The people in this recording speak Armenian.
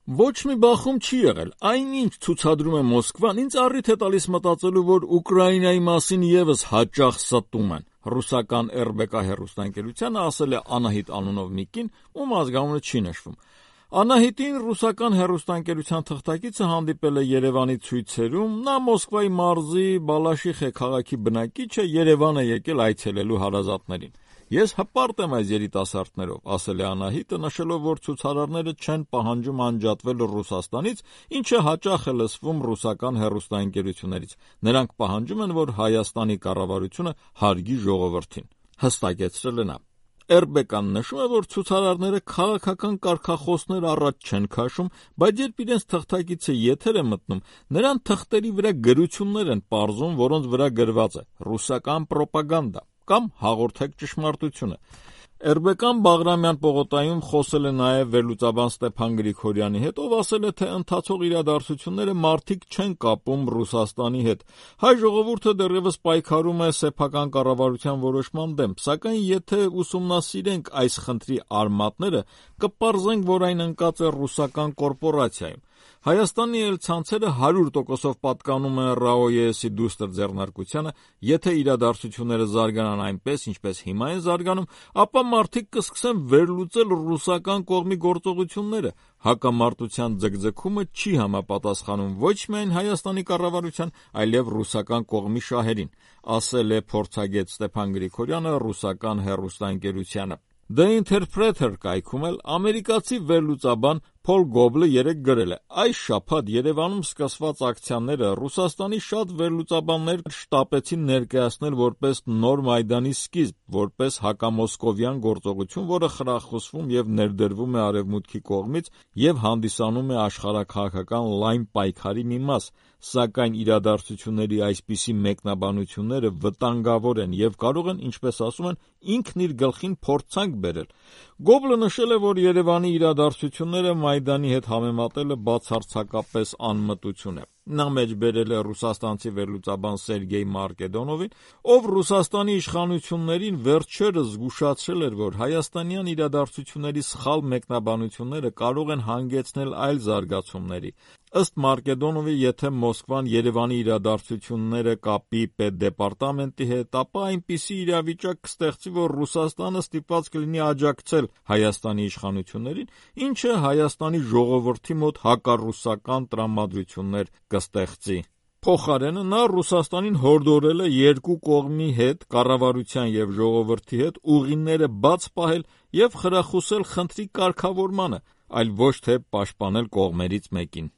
Ոչ մի բախում չի եղել, այնինչ ցուցադրում է Մոսկվան, ինձ առիթ է տալիս մտածելու, որ Ուկրաինայի մասին եւս հաճախ ստում են։ Ռուսական RBK հեռուստաընկերությանը ասել է Անահիտ անունով մի կին, ում ազգանունը չի նշվում։ Անահիտին ռուսական հեռուստաընկերության թղթակիցը հանդիպել է Երևանի ցույցերում, նա Մոսկվայի մարզի Բալաշիխե քաղաքի բնակիչ է, Երևան է եկել այցելելու հարազատներին։ Ես հպարտ եմ այս երիտասարդներով, ասել է Անահիտը, նշելով, որ ցուցարարները չեն պահանջում անջատվել Ռուսաստանից, ինչը հաճախ է լսվում ռուսական հեռուստաընկերություններից։ Նրանք պահանջում են, որ Հայաստանի կառավարությունը հարգի ժողովրդին, հստակեցրել է նա։ RBK-ն նշում է, որ ցուցարարները քաղաքական կարգախոսներ առաջ չեն քաշում, բայց երբ իրենց թղթակիցը եթեր է մտնում, նրան թղթերի վրա գրություններ են պարզում, որոնց վրա գրված է «Ռուսական պրոպագանդա» կամ «Հաղորդեք ճշմարտությունը»։ RBK-ն Բաղրամյան պողոտայում խոսել է նաև վերլուծաբան Ստեփան Գրիգորյանի հետ, ով ասել է, թե ընթացող իրադարձությունները մարդիկ չեն կապում Ռուսաստանի հետ։ Հայ ժողովուրդը դեռևս պայքարում է սեփական կառավարության որոշման դեմ, սակայն եթե ուսումնասիրենք այս խնդրի արմատները, կպարզենք, որ այն ընկած է ռուսական կորպորացիայում։ Հայաստանի էլ ցանցերը 100%-ով պատկանում են ՌԱՕԵՍ-ի դուստր ձեռնարկությանը, եթե իրադարձությունները զարգանան այնպես, ինչպես հիմա են զարգանում, ապա մարդիկ կսկսեն վերլուծել ռուսական կողմի գործողությունները։ Հակամարտության ձգձգումը չի համապատասխանում ոչ միայն Հայաստանի կառավարության, այլև ռուսական կողմի շահերին, ասել է փորձագետ Ստեփան Գրիգորյանը ռուսական հեռուստաընկերությանը։ The Interpreter կայքում էլ ամերիկացի վերլուծաբան Փոլ Գոբլը երեկ գրել է. այս շաբաթ Երևանում սկսված ակցիաները Ռուսաստանի շատ վերլուծաբաններ շտապեցին ներկայացնել որպես նոր Մայդանի սկիզբ, որպես հակամոսկովյան գործողություն, որը խրախուսվում եւ ներդրվում է Արևմուտքի կողմից եւ հանդիսանում է աշխարհաքաղաքական լայն պայքարի մի մաս, սակայն իրադարձությունների այսպիսի մեկնաբանությունները վտանգավոր են եւ կարող են, ինչպես ասում են, ինքն իր գլխին փորձանք բերել։ Գոբլը նշել է, որ Երևանի իրադարձությունները Մայդանի հետ համեմատելը բացարձակապես անմտություն է։ Նա մեջբերել է ռուսաստանցի վերլուծաբան Սերգեյ Մարկեդոնովին, ով Ռուսաստանի իշխանություններին վերջերս զգուշացրել էր, որ հայաստանյան իրադարձությունների սխալ մեկնաբանությունները կարող են հանգեցնել այլ զարգացումների։ Ըստ Մարկեդոնովի, եթե Մոսկվան Երևանի իրադարձությունները կապի պետդեպարտամենտի հետ, ապա այնպիսի իրավիճակ կստեղծի, որ Ռուսաստանը ստիպված կլինի աջակցել Հայաստանի իշխանություններին, ինչը Հայաստանի ժողովրդի մոտ հակառուսական տրամադրություններ կստեղծի։ Փոխարենը նա Ռուսաստանին հորդորել է երկու կողմի հետ, կառավարության եւ ժողովրդի հետ ուղիները բաց պահել եւ խրախուսել խնդրի կարգավորմանը, այլ ոչ թե պաշտպանել կողմերից մեկին։